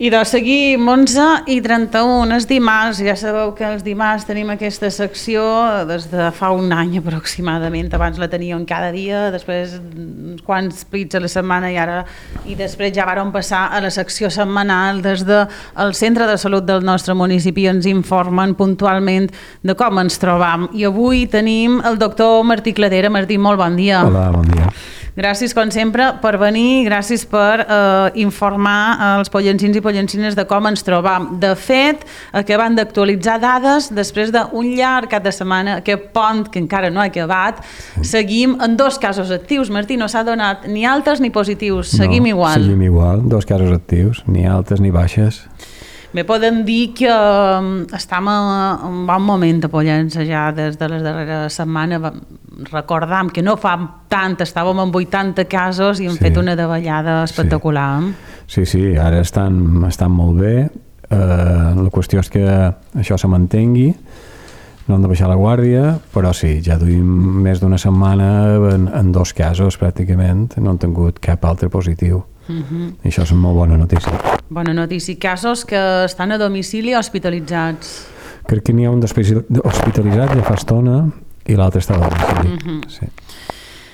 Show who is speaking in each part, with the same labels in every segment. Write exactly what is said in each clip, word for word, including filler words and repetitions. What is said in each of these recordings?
Speaker 1: de seguim onze i trenta-u, és dimarts, ja sabeu que els dimarts tenim aquesta secció des de fa un any aproximadament, abans la teníem cada dia, després uns quants plits a la setmana i ara i després ja vàrem passar a la secció setmanal des del centre de salut del nostre municipi, ens informen puntualment de com ens trobam i avui tenim el doctor Martí Cladera. Martí, molt bon dia.
Speaker 2: Hola, bon dia.
Speaker 1: Gràcies, com sempre, per venir, gràcies per eh, informar els pollencins i pollencines de com ens trobam. De fet, acabant d'actualitzar dades, després d'un llarg cap de setmana, aquest pont que encara no ha acabat, sí. Seguim en dos casos actius. Martí, no s'ha donat ni altes ni positius, seguim
Speaker 2: no,
Speaker 1: igual.
Speaker 2: Seguim igual, dos casos actius, ni altes ni baixes.
Speaker 1: Bé, podem dir que estem en un bon moment de Pollença ja des de les darreres setmanes. Recordam que no fa tant, estàvem en vuitanta casos i hem sí. fet una davallada espectacular.
Speaker 2: Sí, sí, sí, ara estan, estan molt bé. Uh, la qüestió és que això se mantengui, no hem de baixar la guàrdia, però sí, ja duim més d'una setmana en, en dos casos pràcticament, no hem tingut cap altre positiu. Uh-huh. I això és una molt bona notícia.
Speaker 1: Bona notícia. Casos que estan a domicili hospitalitzats?
Speaker 2: Crec que n'hi ha un hospitalitzat ja fa estona i l'altre està a domicili. Uh-huh. Sí.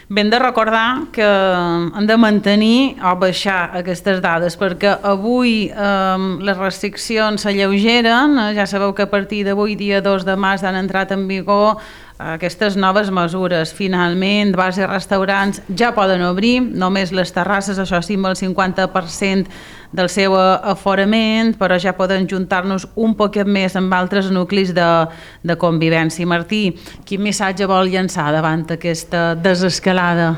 Speaker 1: Ben de recordar que hem de mantenir o baixar aquestes dades perquè avui eh, les restriccions s'alleugeren. Ja sabeu que a partir d'avui, dia dos de març, han entrat en vigor aquestes noves mesures. Finalment, bars i restaurants ja poden obrir, només les terrasses, això sí, amb el cinquanta per cent del seu aforament, però ja poden juntar-nos un poquet més amb altres nuclis de, de convivència. Martí, quin missatge vol llançar davant aquesta desescalada?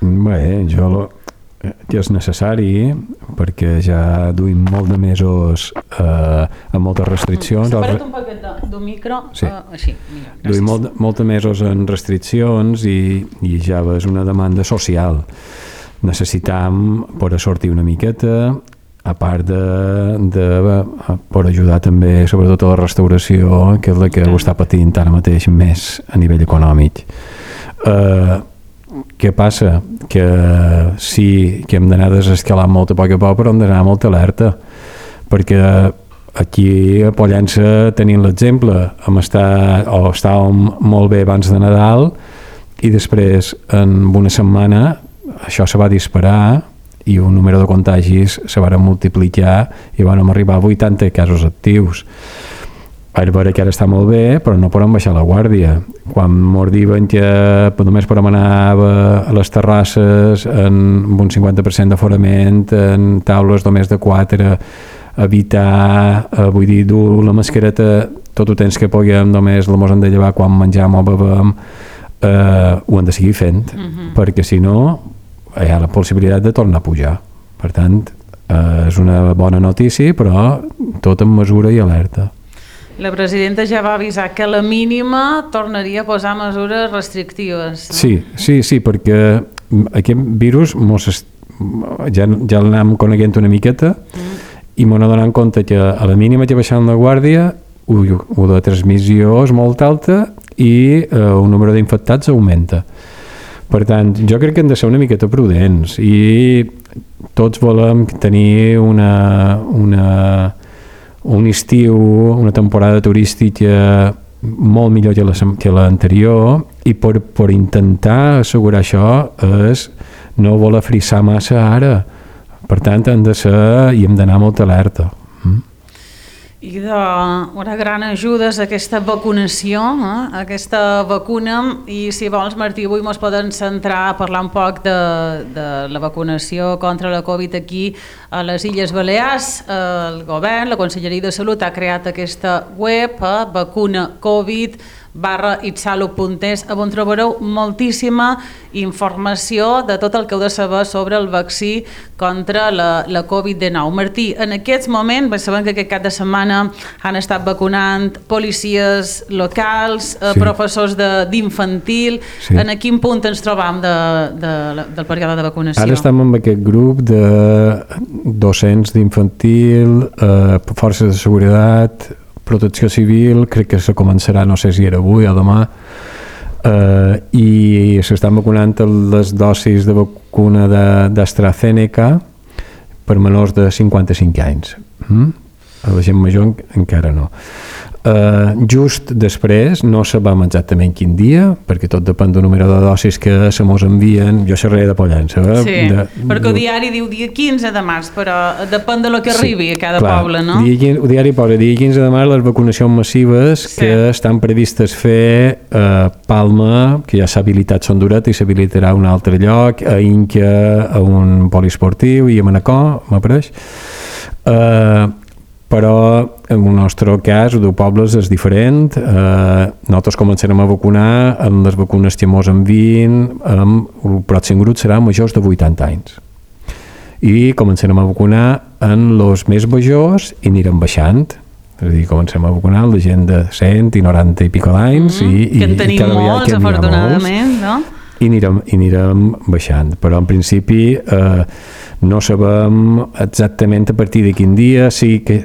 Speaker 2: Bé, jo lo, ja és necessari perquè ja duim molt de mesos eh, amb moltes restriccions.
Speaker 1: Separa't un poquet d'un micro.
Speaker 2: Sí.
Speaker 1: Uh, així, mira, gràcies.
Speaker 2: Duim molt, molt de mesos en restriccions i, i ja és una demanda social. Necessitam per sortir una miqueta, a part de, de per ajudar també sobretot a la restauració, que és la que ho està patint ara mateix més a nivell econòmic. Eh, Què passa? Que sí que hem d'anar desescalant molt a poc a poc, però hem d'anar molt alerta, perquè aquí a Pollença tenim l'exemple, hem estat, o estàvem molt bé abans de Nadal i després en una setmana això se va disparar i un número de contagis se van multiplicar i van arribar a vuitanta casos actius. A veure que ara està molt bé, però no podem baixar la guàrdia. Quan mos diuen que només podem anar a les terrasses amb un cinquanta per cent d'aforament, en taules només de quatre, evitar, eh, vull dir, dur la mascareta tot el temps que puguem, només la mos hem de llevar quan menjam o bevem, eh, ho hem de seguir fent, uh-huh. perquè si no hi ha la possibilitat de tornar a pujar. Per tant, eh, és una bona notícia, però tot en mesura i alerta.
Speaker 1: La presidenta ja va avisar que a la mínima tornaria a posar mesures restrictives. No?
Speaker 2: Sí, sí, sí, perquè aquest virus mos est... ja, ja l'anem coneguent una miqueta mm. i m'ho donant compte que a la mínima que baixant la guàrdia ui, la transmissió és molt alta i eh, el número d'infectats augmenta. Per tant, jo crec que hem de ser una miqueta prudents i tots volem tenir una... una un estiu, una temporada turística molt millor que l'anterior i per, per intentar assegurar això és no voler frissar massa ara. Per tant, hem de ser i hem d'anar molt alerta. Mm?
Speaker 1: I de, una gran ajuda és aquesta vacunació, eh? aquesta vacuna, i si vols, Martí, avui ens podem centrar a parlar un poc de, de la vacunació contra la Covid aquí a les Illes Balears. El govern, la Conselleria de Salut ha creat aquesta web, eh? vacuna covid barra itsalut punt es, on trobareu moltíssima informació de tot el que heu de saber sobre el vaccí contra la, la covid dinou. Martí, en aquests moments, sabem que aquest cap de setmana han estat vacunant policies locals, sí. professors d'infantil. Sí. En quin punt ens trobam de, de, del període de vacunació?
Speaker 2: Ara estem amb aquest grup de docents d'infantil, eh, forces de seguretat, protecció civil, crec que se començarà, no sé si era avui o demà, eh, i s'estan vacunant les dosis de vacuna d'AstraZeneca per menors de cinquanta-cinc anys. Mm? A la gent major encara no. Uh, just després, no sabem exactament quin dia, perquè tot depèn del número de dosis que se mos envien. Jo xerraré de Pollença. Eh?
Speaker 1: Sí,
Speaker 2: de,
Speaker 1: perquè el diari diu dia quinze de març, però depèn de lo que arribi sí, a cada clar, poble, no?
Speaker 2: Dia, el diari posa dia quinze de març les vacunacions massives sí. que estan previstes fer a Palma, que ja s'ha habilitat Son Duret i s'habilitarà a un altre lloc, a Inca, a un poliesportiu i a Manacor, m'apareix. Uh, però en el nostre cas, el de pobles és diferent. Eh, nosaltres començarem a vacunar en les vacunes que mos envien, amb el pròxim grup serà majors de vuitanta anys. I començarem a vacunar en els més majors i anirem baixant. És a dir, comencem a vacunar la gent de cent i noranta i pico d'anys. Mm,
Speaker 1: i, que en tenim i molts, que afortunadament, no?
Speaker 2: I anirem, i anirem baixant. Però en principi eh, no sabem exactament a partir de quin dia. Sí que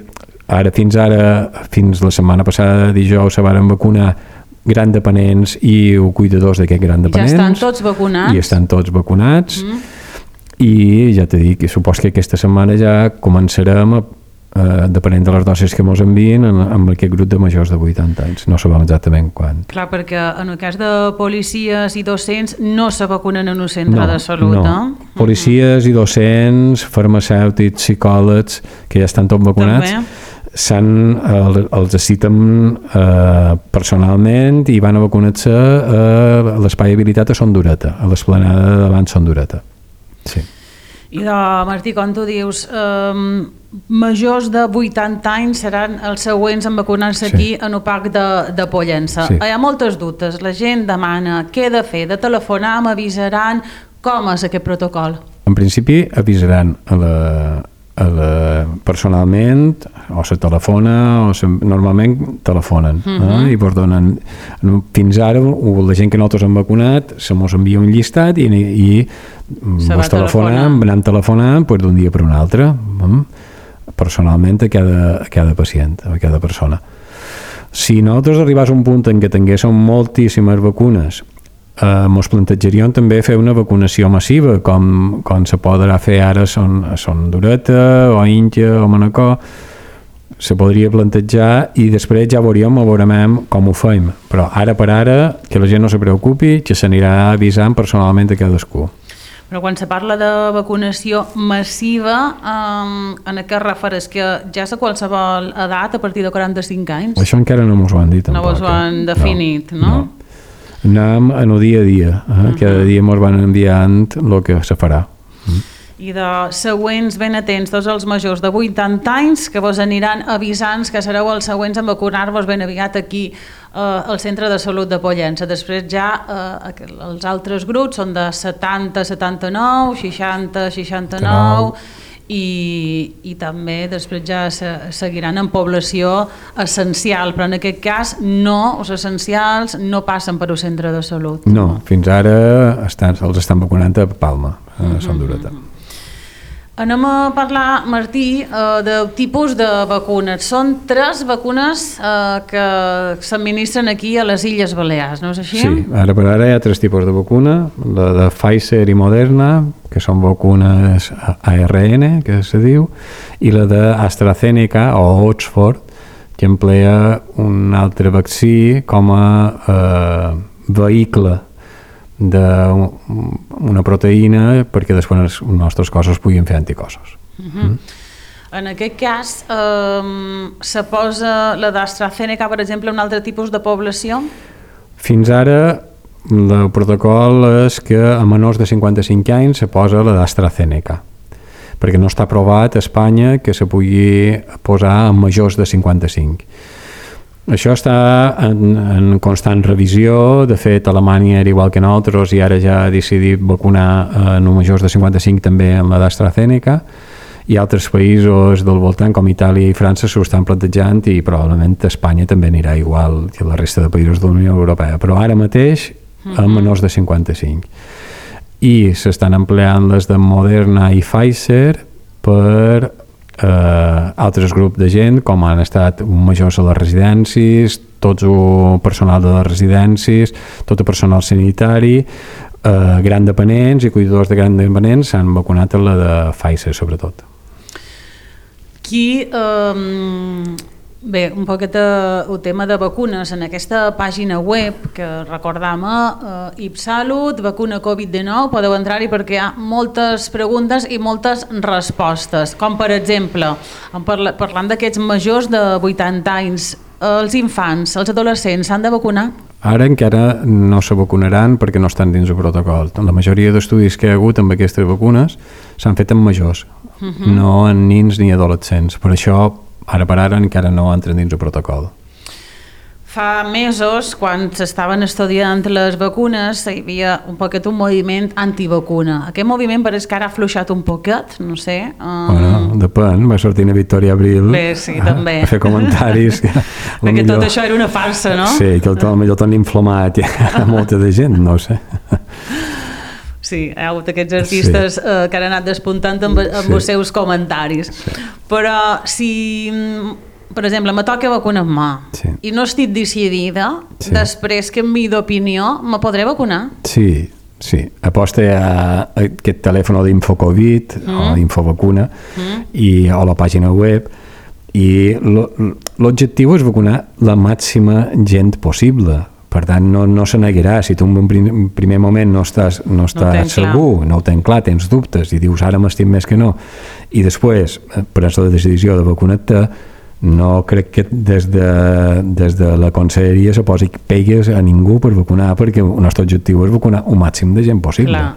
Speaker 2: ara, fins ara, fins la setmana passada, dijous, se van vacunar grans dependents i cuidadors d'aquests grans dependents.
Speaker 1: Ja estan tots vacunats.
Speaker 2: I estan tots vacunats. Mm. I ja t'he dit, supos que aquesta setmana ja començarem a Uh, depenent de les dosis que ens envien en, amb aquest grup de majors de vuitanta anys. No sabem exactament quan.
Speaker 1: Clar, perquè en el cas de policies i docents no se vacunen en un centre
Speaker 2: no,
Speaker 1: de salut,
Speaker 2: no.
Speaker 1: no?
Speaker 2: Policies uh-huh. i docents, farmacèutics, psicòlegs, que ja estan tots vacunats, s'han, el, els citen eh, personalment i van a vacunar-se a l'espai habilitat a Son Dureta, a l'esplanada davant Son Dureta. Sí.
Speaker 1: I de, Martí, com tu dius, eh, majors de vuitanta anys seran els següents en vacunar-se sí. aquí en el parc de, de Pollença. Sí. Hi ha moltes dubtes, la gent demana què he de fer, de telefonar, m'avisaran, com és aquest protocol?
Speaker 2: En principi avisaran a la, a la, personalment, o se telefona, o se, normalment telefonen, uh-huh. eh? I vos donen, fins ara la gent que nosaltres hem vacunat se mos envia un llistat i, i vos telefonen, anem telefonant pues, d'un dia per un altre, eh? Personalment a cada, a cada pacient, a cada persona. Si nosaltres arribés a un punt en què tinguéssim moltíssimes vacunes, eh, ens plantejaríem també fer una vacunació massiva, com, com se podrà fer ara a Son, a Son Dureta, o a Inca, o a Manacor. Se podria plantejar i després ja veuríem, veurem com ho fem. Però ara per ara, que la gent no se preocupi, que s'anirà avisant personalment a cadascú.
Speaker 1: Però quan se parla de vacunació massiva, um, en què refereix? Que ja és a qualsevol edat a partir de quaranta-cinc anys?
Speaker 2: Això encara no ens ho han dit tampoc.
Speaker 1: No us ho han definit, no?
Speaker 2: no? no. Anem en el dia a dia. Eh? Uh-huh. Cada dia ens van enviant el que se farà. Uh-huh.
Speaker 1: I de següents ben atents, tots els majors de vuitanta anys que vos aniran avisant que sereu els següents en vacunar-vos ben aviat aquí eh, al Centre de Salut de Pollença. Després ja eh, els altres grups són de setanta a setanta-nou, seixanta a seixanta-nou i, i també després ja se, seguiran en població essencial, però en aquest cas no, els essencials no passen per un centre de salut.
Speaker 2: No, fins ara estan, els estan vacunant a Palma, a Son Dureta. Mm-hmm.
Speaker 1: Anem a parlar, Martí, de tipus de vacunes. Són tres vacunes que s'administren aquí a les Illes Balears, no és així?
Speaker 2: Sí, ara per ara hi ha tres tipus de vacuna, la de Pfizer i Moderna, que són vacunes A R N, que se diu, i la d'AstraZeneca o Oxford, que emplea un altre vaccí com a eh, vehicle d'una proteïna perquè després els nostres cossos puguin fer anticossos. Uh-huh. Mm?
Speaker 1: En aquest cas, eh, se posa la d'AstraZeneca, per exemple, un altre tipus de població?
Speaker 2: Fins ara, el protocol és que a menors de cinquanta-cinc anys se posa la d'AstraZeneca, perquè no està aprovat a Espanya que se pugui posar a majors de cinquanta-cinc. Això està en, en constant revisió. De fet, Alemanya era igual que nosaltres i ara ja ha decidit vacunar en majors de cinquanta-cinc també en la d'AstraZeneca, i altres països del voltant com Itàlia i França s'ho estan plantejant i probablement Espanya també anirà igual que la resta de països de la Unió Europea, però ara mateix a menors de cinquanta-cinc. I s'estan empleant les de Moderna i Pfizer per Uh, altres grups de gent, com han estat majors a les residències, tot el personal de les residències, tot el personal sanitari, uh, grans dependents i cuidadors de grans dependents s'han vacunat a la de Pfizer, sobretot.
Speaker 1: Qui, eh, bé, un poquet el tema de vacunes en aquesta pàgina web que recordam, eh, IpSalut, vacuna covid dinou, podeu entrar-hi perquè hi ha moltes preguntes i moltes respostes, com per exemple, parlant d'aquests majors de vuitanta anys, els infants, els adolescents s'han de vacunar?
Speaker 2: Ara encara no se vacunaran perquè no estan dins el protocol. La majoria d'estudis que hi ha hagut amb aquestes vacunes s'han fet en majors, uh-huh. no en nins ni adolescents. Per això, ara per ara, encara no entren dins el protocol.
Speaker 1: Fa mesos, quan s'estaven estudiant les vacunes, hi havia un poquet un moviment antivacuna. Aquest moviment pareix que ara ha afluixat un poquet, no sé. Um...
Speaker 2: Bueno, depèn, va sortir a Victòria Abril
Speaker 1: Bé, sí, a, també.
Speaker 2: a fer comentaris. Que
Speaker 1: perquè millor... tot això era una farsa, no?
Speaker 2: Sí, que el millor t'han inflamat a molta de gent, no ho sé.
Speaker 1: Sí, hi ha hagut aquests artistes sí. eh, que han anat despuntant amb, amb sí. els seus comentaris. Sí. Però si... per exemple, me toca vacunar-me sí. i no estic decidida, sí. després que canviï d'opinió, me podré vacunar? Sí, sí. Aposta a aquest telèfon d'Infocovid mm. o Infovacuna mm. i, o la pàgina web, i l'objectiu és vacunar la màxima gent possible. Per tant, no, no se negarà. Si tu en un primer moment no estàs, no estàs no segur, clar. no ho tens clar, tens dubtes i dius ara m'estim més que no, i després prens la decisió de vacunar-te, no crec que des de, des de la conselleria se posi pegues a ningú per vacunar, perquè el nostre objectiu és vacunar un màxim de gent possible. Clar.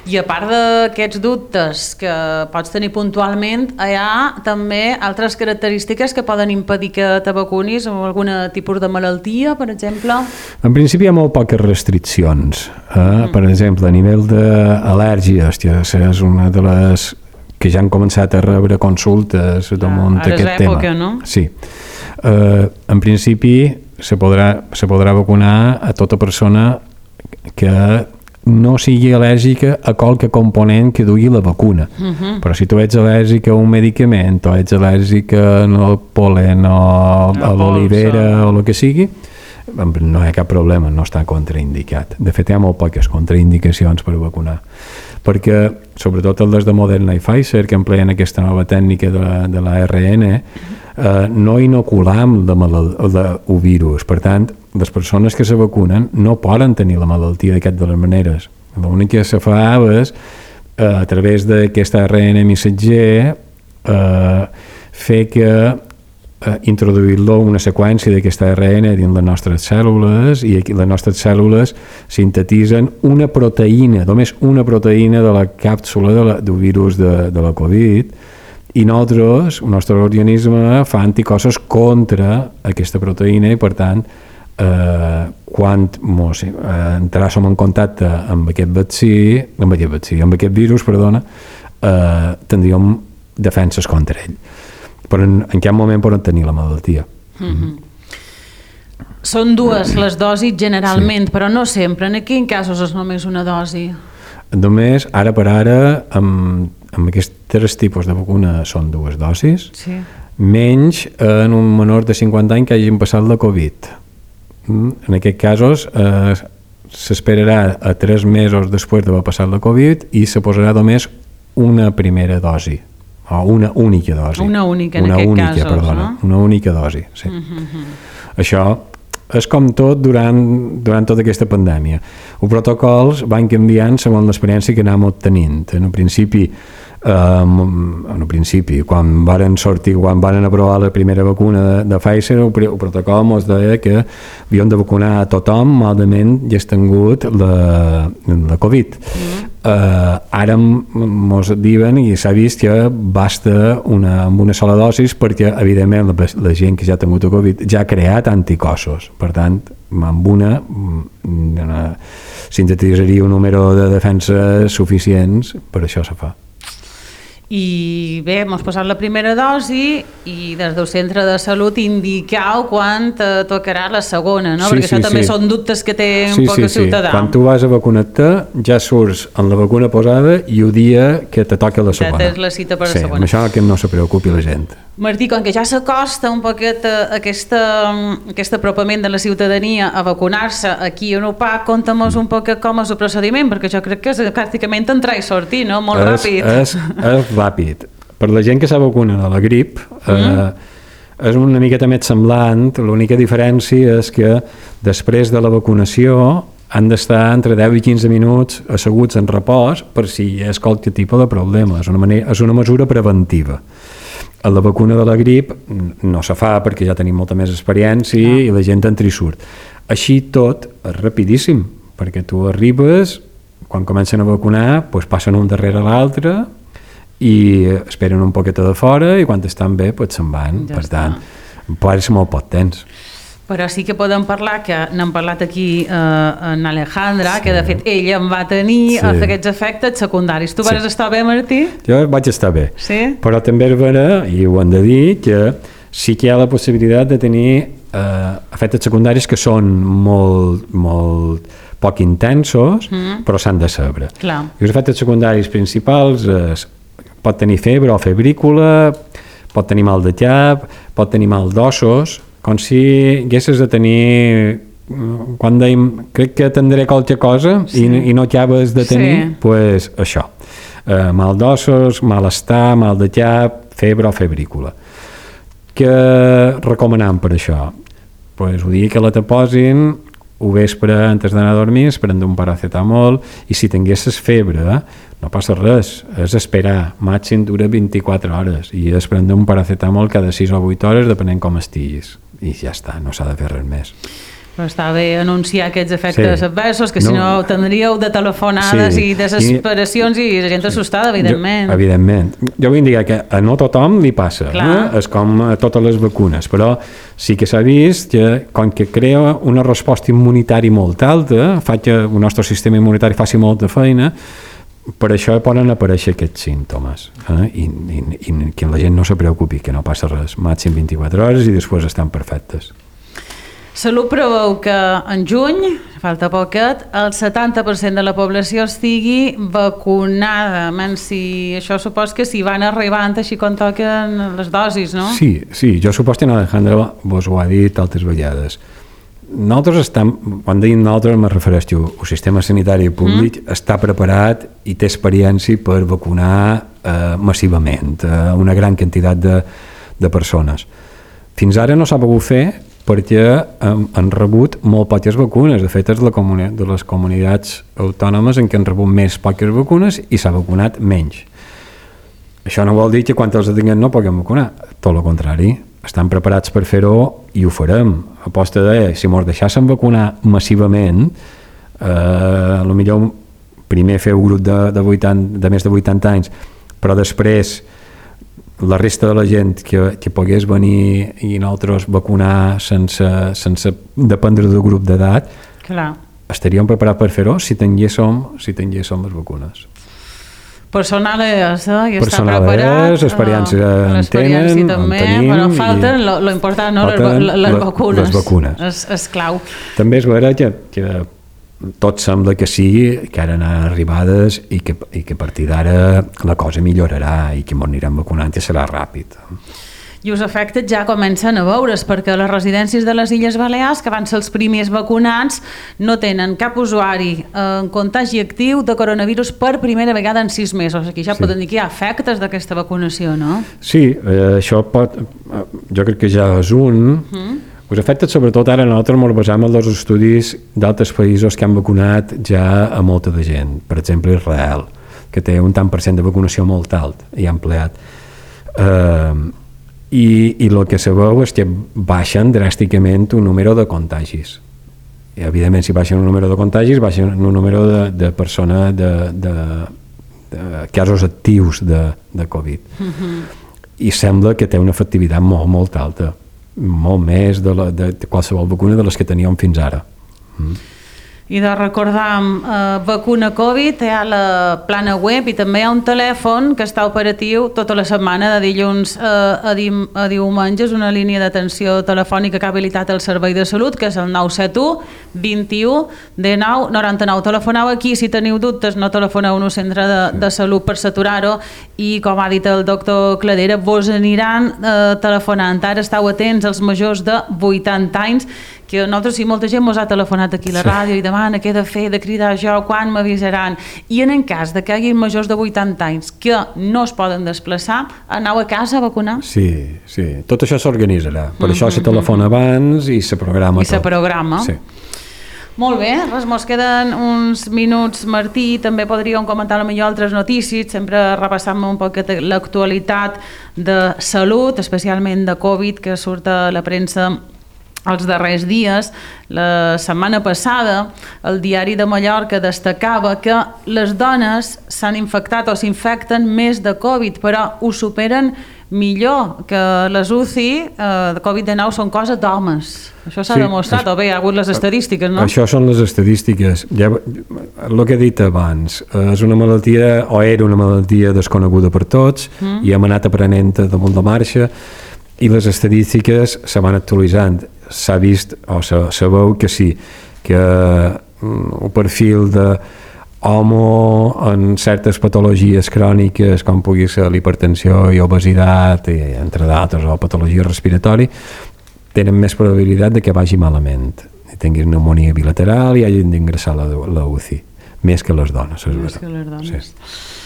Speaker 1: I a part d'aquests dubtes que pots tenir puntualment, hi ha també altres característiques que poden impedir que te vacunis amb algun tipus de malaltia, per exemple?
Speaker 2: En principi hi ha molt poques restriccions. Eh? Mm. Per exemple, a nivell d'al·lèrgies, que és una de les que ja han començat a rebre consultes damunt ah, aquest tema. Ara és època, no? Sí. Uh, en principi se podrà, se podrà vacunar a tota persona que no sigui al·lèrgica a qualque component que dugui la vacuna. Uh-huh. Però si tu ets al·lèrgica a un medicament o ets al·lèrgica al polen o a l'olivera o el que sigui, no hi ha cap problema, no està contraindicat. De fet, hi ha molt poques contraindicacions per vacunar, perquè sobretot les de Moderna i Pfizer, que empleen aquesta nova tècnica de, de l'A R N, eh, no inoculam el virus. Per tant, les persones que se vacunen no poden tenir la malaltia d'aquestes de les maneres. L'únic que se fa és, eh, a través d'aquest A R N missatger, eh, fer que eh, introduir-lo una seqüència d'aquesta A R N dins les nostres cèl·lules, i aquí les nostres cèl·lules sintetitzen una proteïna, només una proteïna de la càpsula de la, del virus de, de la Covid, i nosaltres, el nostre organisme fa anticossos contra aquesta proteïna, i per tant eh, quan mos, eh, entràssim en contacte amb aquest vaccí, amb aquest vaccí, amb aquest virus, perdona, eh, tindríem defenses contra ell. Però en, en cap moment poden tenir la malaltia. Mm-hmm.
Speaker 1: Són dues les dosis generalment, sí. Però no sempre. En quins casos és només una dosi?
Speaker 2: Només, ara per ara, amb, amb aquests tres tipus de vacuna són dues dosis, sí. Menys en un menor de cinquanta anys que hagin passat la Covid. En aquests casos eh, s'esperarà a tres mesos després d'haver passat la Covid i se posarà només una primera dosi. O una única dosi.
Speaker 1: Una única, en
Speaker 2: una
Speaker 1: aquest
Speaker 2: única,
Speaker 1: casos,
Speaker 2: perdona,
Speaker 1: no?
Speaker 2: Una única dosi, sí.
Speaker 1: Uh-huh.
Speaker 2: Això és com tot durant, durant tota aquesta pandèmia. Els protocols van canviant segons l'experiència que anàvem obtenint. En un principi, um, en un principi, quan varen sortir, quan varen aprovar la primera vacuna de, de Pfizer, el, el protocol ens deia que havíem de vacunar a tothom malament ja has tingut la, la Covid. Mm. Uh, ara ens diuen i s'ha vist que basta una, amb una sola dosis perquè evidentment la, la gent que ja ha tingut el Covid ja ha creat anticossos, per tant amb una, una sintetitzaria un número de defenses suficients, per això se fa.
Speaker 1: I bé, hem posat la primera dosi i des del centre de salut indiqueu quan te tocarà la segona, no? Sí, perquè sí, això també sí. Són dubtes que té un sí, poc sí, el ciutadà.
Speaker 2: Sí. Quan tu vas a vacunar-te ja surts amb la vacuna posada i el dia que te toca la segona.
Speaker 1: Ja tens la cita per
Speaker 2: sí,
Speaker 1: la segona.
Speaker 2: Sí, amb això que no se preocupi la gent.
Speaker 1: Martí, com que ja s'acosta un poquet aquesta, aquest apropament de la ciutadania a vacunar-se aquí a Upac, conta'm-nos un poquet com és el procediment, perquè jo crec que és pràcticament entrar i sortir, no? Molt
Speaker 2: és,
Speaker 1: ràpid.
Speaker 2: És, és ràpid. per la gent que s'ha vacunat de la grip, mm. eh, és una miqueta més semblant, l'única diferència és que després de la vacunació han d'estar entre deu i quinze minuts asseguts en repòs per si hi ha qualsevol tipus de problema. És una, manera, és una mesura preventiva. A la vacuna de la grip no se fa perquè ja tenim molta més experiència ah. i la gent entra i surt. Així tot és rapidíssim, perquè tu arribes, quan comencen a vacunar, doncs passen un darrere l'altre i esperen un poquet de fora i quan estan bé doncs se'n van. Ja per està. Tant, pot ser molt poc temps.
Speaker 1: Però sí que podem parlar, que n'hem parlat aquí eh, en Alejandra, sí. que de fet ella em va tenir sí. aquests efectes secundaris. Tu sí. vas estar bé, Martí?
Speaker 2: Jo vaig estar bé,
Speaker 1: sí?
Speaker 2: Però també és vera, i ho hem de dir, que sí que hi ha la possibilitat de tenir eh, efectes secundaris que són molt, molt poc intensos, mm. però s'han de saber.
Speaker 1: Clar.
Speaker 2: I els efectes secundaris principals és, pot tenir febre o febrícula, pot tenir mal de cap, pot tenir mal d'ossos, com si haguessis de tenir, quan dèiem, crec que tindré qualque cosa sí. i, i no acabes de tenir, sí. pues això, eh, mal d'ossos, malestar, mal de cap, febre o febrícula. Què recomanem per això? Pues ho dic que la te posin ho vespre antes d'anar a dormir, prendre un paracetamol, i si tinguessis febre, no passa res, és esperar, màxim dura vint-i-quatre hores, i és prendre un paracetamol cada sis o vuit hores, depenent com estiguis, i ja està, no s'ha de fer res més.
Speaker 1: Però està bé anunciar aquests efectes sí. adversos, que si no, no tindríeu de telefonades sí. i desesperacions i, i la gent assustada, evidentment.
Speaker 2: Jo, evidentment. Jo vull dir que a no tothom li passa, eh? És com a totes les vacunes, però sí que s'ha vist que com que crea una resposta immunitària molt alta, fa que el nostre sistema immunitari faci molta feina, per això poden aparèixer aquests símptomes, eh? I, i, i que la gent no se preocupi, que no passa res, màxim vint-i-quatre hores i després estan perfectes.
Speaker 1: Salut preveu que en juny, falta poquet, el setanta per cent de la població estigui vacunada. Men, si això supos que s'hi van arribant així com toquen les dosis, no?
Speaker 2: Sí, sí, jo supos que Alejandra vos ho ha dit altres vegades. Nosaltres estem, quan dèiem nosaltres me refereixo, el sistema sanitari públic mm. està preparat i té experiència per vacunar eh, massivament eh, una gran quantitat de, de persones. Fins ara no s'ha pogut fer perquè han, han rebut molt poques vacunes. De fet, és la comuni- de les comunitats autònomes en què han rebut més poques vacunes i s'ha vacunat menys. Això no vol dir que quan els tinguem no puguem vacunar. Tot el contrari, estan preparats per fer-ho i ho farem. A posta de, si ens deixassen vacunar massivament, eh, potser primer fer un grup de, de, vuitanta, de més de vuitanta anys, però després la resta de la gent que, que pogués venir i nosaltres vacunar sense, sense dependre del grup d'edat, estaríem preparats per fer-ho si tinguéssim, si tinguéssim les vacunes.
Speaker 1: Personal és, eh? I
Speaker 2: Personal
Speaker 1: està preparat.
Speaker 2: És, experiència uh, en
Speaker 1: l'experiència
Speaker 2: tenen,
Speaker 1: també,
Speaker 2: en tenim.
Speaker 1: Però falten, lo, lo important, no? les, les, les vacunes.
Speaker 2: Les vacunes.
Speaker 1: És, és clau.
Speaker 2: També és vera que, que tot sembla que sí, que ara han arribades i que, i que a partir d'ara la cosa millorarà i que ens anirem vacunant i serà ràpid.
Speaker 1: I els efectes ja comencen a veure's, perquè les residències de les Illes Balears, que van ser els primers vacunats, no tenen cap usuari en contagi actiu de coronavirus per primera vegada en sis mesos. Aquí ja sí. Poden dir que hi ha efectes d'aquesta vacunació, no?
Speaker 2: Sí, eh, això pot... Jo crec que ja és un... Mm. Els efectes, sobretot ara, nosaltres ens basem en els estudis d'altres països que han vacunat ja a molta de gent. Per exemple, Israel, que té un tant per cent de vacunació molt alt i ha empleat. Eh, i, i el que se veu és que baixen dràsticament un número de contagis. I, evidentment, si baixen un número de contagis, baixen un número de, de persones, de, de, de casos actius de, de Covid. Mm-hmm. I sembla que té una efectivitat molt, molt alta. Molt més de, la, de, de qualsevol vacuna de les que teníem fins ara. Mm.
Speaker 1: I de recordar, eh, vacuna Covid, hi ha la plana web i també hi ha un telèfon que està operatiu tota la setmana, de dilluns eh, a, dim, a diumenges, una línia d'atenció telefònica que ha habilitat el Servei de Salut, que és el nou set u, vint-i-u, dinou, noranta-nou. Telefoneu aquí, si teniu dubtes, no telefoneu en un centre de, de salut per saturar-ho, i com ha dit el doctor Cladera, vos aniran eh, telefonant. Ara esteu atents als majors de vuitanta anys que nosaltres, si molta gent ens ha telefonat aquí a la sí. ràdio i demana què he de fer, de cridar jo, quan m'avisaran, i en el cas de que hi hagi majors de vuitanta anys que no es poden desplaçar, aneu a casa a vacunar?
Speaker 2: Sí, sí, tot això s'organitzarà, per mm-hmm. això se telefona abans i se programa
Speaker 1: I tot. I se programa.
Speaker 2: Sí.
Speaker 1: Molt bé, res, mos queden uns minuts, Martí, també podríem comentar potser altres notícies, sempre repassant un poc l'actualitat de salut, especialment de Covid, que surt a la premsa els darrers dies. La setmana passada el Diari de Mallorca destacava que les dones s'han infectat o s'infecten més de Covid, però ho superen millor, que les U C I eh, de Covid dinou són cosa d'homes. Això s'ha sí, demostrat, això, o bé hi ha hagut les estadístiques, no?
Speaker 2: Això són les estadístiques. Ja, el que he dit abans, és una malaltia, o era una malaltia desconeguda per tots, mm. i hem anat aprenent damunt de marxa, i les estadístiques se van actualitzant. S'ha vist, o se, se veu que sí, que el perfil de homo en certes patologies cròniques, com pugui ser l'hipertensió i obesitat, i, entre d'altres, o patologia respiratori, tenen més probabilitat de que vagi malament, i tinguin pneumonia bilateral i hagin d'ingressar a la, la U C I, més que les dones.
Speaker 1: Més que les dones. Sí.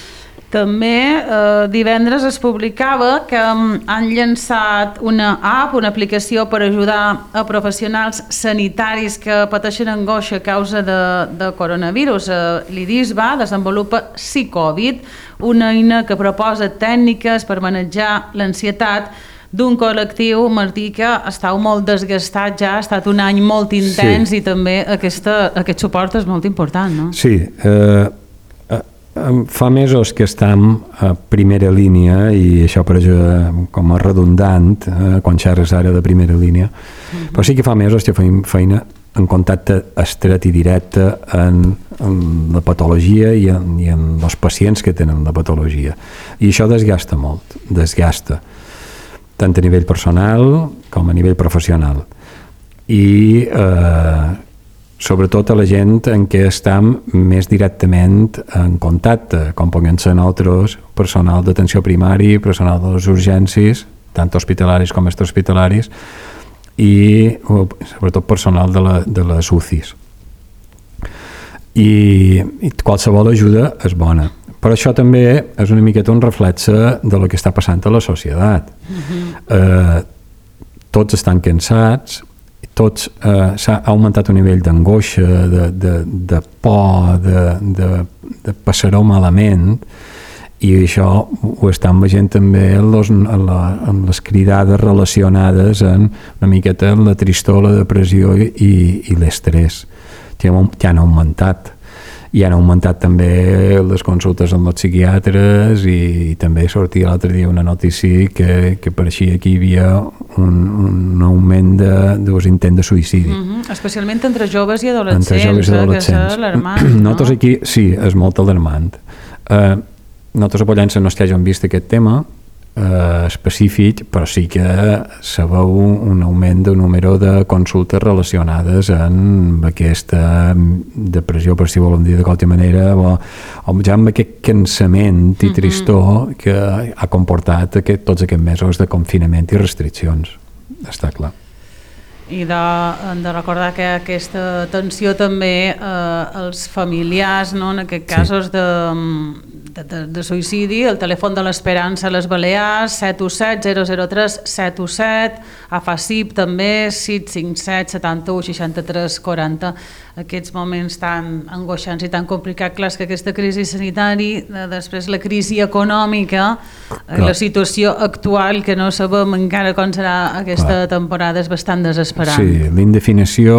Speaker 1: També eh, divendres es publicava que han llançat una app, una aplicació per ajudar a professionals sanitaris que pateixen angoixa a causa de, de coronavirus. Eh, L'I D I S va desenvolupa Psicovid, una eina que proposa tècniques per manejar l'ansietat d'un col·lectiu, Martí, que estava molt desgastat ja, ha estat un any molt intens, sí. I també aquesta, aquest suport és molt important, no?
Speaker 2: Sí, eh... fa mesos que estem a primera línia, i això per això com a redundant eh, quan xerres ara de primera línia, mm-hmm. però sí que fa mesos que fem feina en contacte estret i directe en, en la patologia i en, i en els pacients que tenen la patologia, i això desgasta molt, desgasta tant a nivell personal com a nivell professional, i eh, sobretot a la gent en què estem més directament en contacte, com poden ser nosaltres, personal d'atenció primari, personal de les urgències, tant hospitalaris com extrahospitalaris, i sobretot personal de, la, de les U C Is. I, I qualsevol ajuda és bona. Però això també és una miqueta un reflexe de lo que està passant a la societat. Mm-hmm. Eh, tots estan cansats, tots eh, s'ha augmentat un nivell d'angoixa, de, de, de por, de, de, de passar-ho malament, i això ho estan veient també en les, en la, en les cridades relacionades en una miqueta la tristor, la depressió i, i l'estrès, que han augmentat. I han augmentat també les consultes amb els psiquiatres, i, i també sortia l'altre dia una notícia que, que pareixia que hi havia un, un augment de, dels intents de suïcidi.
Speaker 1: Mm-hmm. Especialment entre joves i adolescents,
Speaker 2: entre joves i adolescents.
Speaker 1: Eh, que és alarmant. No?
Speaker 2: Nosaltres aquí, sí, és molt alarmant. Eh, nosaltres a Pollença no és que hàgim vist aquest tema eh, específic, però sí que se veu un augment del número de consultes relacionades amb aquesta depressió, per si volem dir de qualsevol manera, o, o ja amb aquest cansament i tristor mm-hmm. que ha comportat aquest, tots aquests mesos de confinament i restriccions, està clar.
Speaker 1: I de, de recordar que aquesta atenció també eh, als familiars, no? En aquest casos sí. de, de, de, de suïcidi, el telèfon de l'Esperança a les Balears, set u set zero zero tres set u set, a FACIP també, sis cinc set setanta-u seixanta-tres quaranta. Aquests moments tan angoixants i tan complicats, clar, que aquesta crisi sanitària, després la crisi econòmica, clar. La situació actual, que no sabem encara com serà aquesta clar. Temporada, és bastant desesperant.
Speaker 2: Sí, l'indefinició,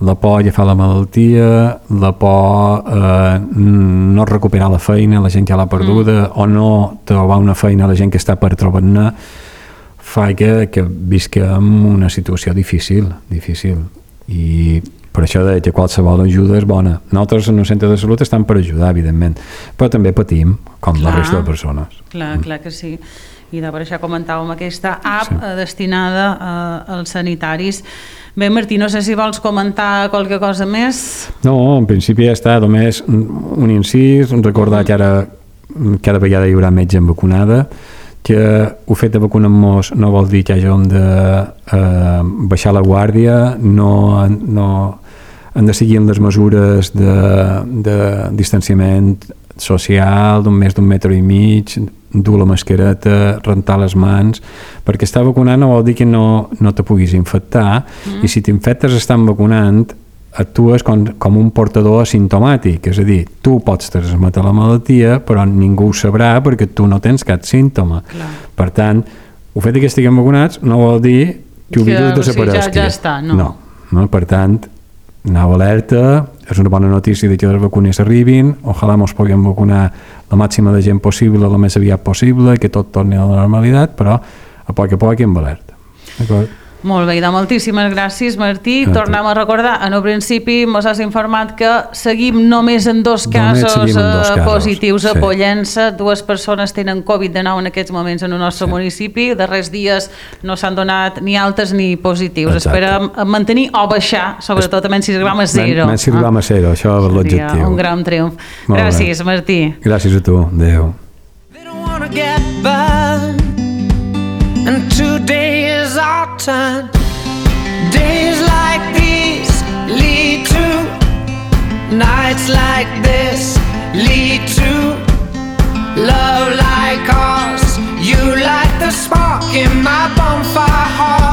Speaker 2: la por a agafar la malaltia, la por a eh, no recuperar la feina, la gent que l'ha perduda, mm. o no trobar una feina a la gent que està per trobar-ne, fa que, que visquem una situació difícil, difícil. I per això de que qualsevol ajuda és bona. Nosaltres en el centre de salut estem per ajudar, evidentment, però també patim, com clar, la resta de persones.
Speaker 1: Clar, mm. clar que sí. I de per això comentàvem aquesta app sí. destinada uh, als sanitaris. Bé, Martí, no sé si vols comentar qualque cosa més.
Speaker 2: No, en principi ja està, només un incís, recordar mm. que ara cada vegada hi haurà més gent vacunada, que el fet de vacunar-nos no vol dir que hàgim de eh, baixar la guàrdia, no, no han de seguir les mesures de, de distanciament social d'un més d'un metre i mig, dur la mascareta, rentar les mans, perquè estar vacunant no vol dir que no, no te puguis infectar, mm. i si t'infectes estan vacunant, actues com, com un portador asimptomàtic, és a dir, tu pots transmetre la malaltia, però ningú ho sabrà perquè tu no tens cap símptoma. Clar. Per tant, el fet que estiguem vacunats no vol dir que el virus desapareixi.
Speaker 1: Ja, ja està, no.
Speaker 2: no. No, per tant, anau alerta, és una bona notícia que les vacunes arribin, ojalà ens puguem vacunar la màxima de gent possible, la més aviat possible, que tot torni a la normalitat, però a poc a poc hem alerta. D'acord?
Speaker 1: Molt bé, doncs moltíssimes gràcies, Martí. Ah, Tornem a recordar, en el principi ens has informat que seguim només en dos casos, en dos casos positius a sí. Pollença. Dues persones tenen covid dinou en aquests moments en el nostre sí. municipi. Darrers dies no s'han donat ni altes ni positius. Exacte. Esperem mantenir o baixar, sobretot a menys sis grames zero.
Speaker 2: Menys sis grames zero, això és l'objectiu.
Speaker 1: Un gran triomf. Molt gràcies, bé. Martí.
Speaker 2: Gràcies a tu. Adéu.
Speaker 3: And today is our time. Days like these lead to nights like this lead to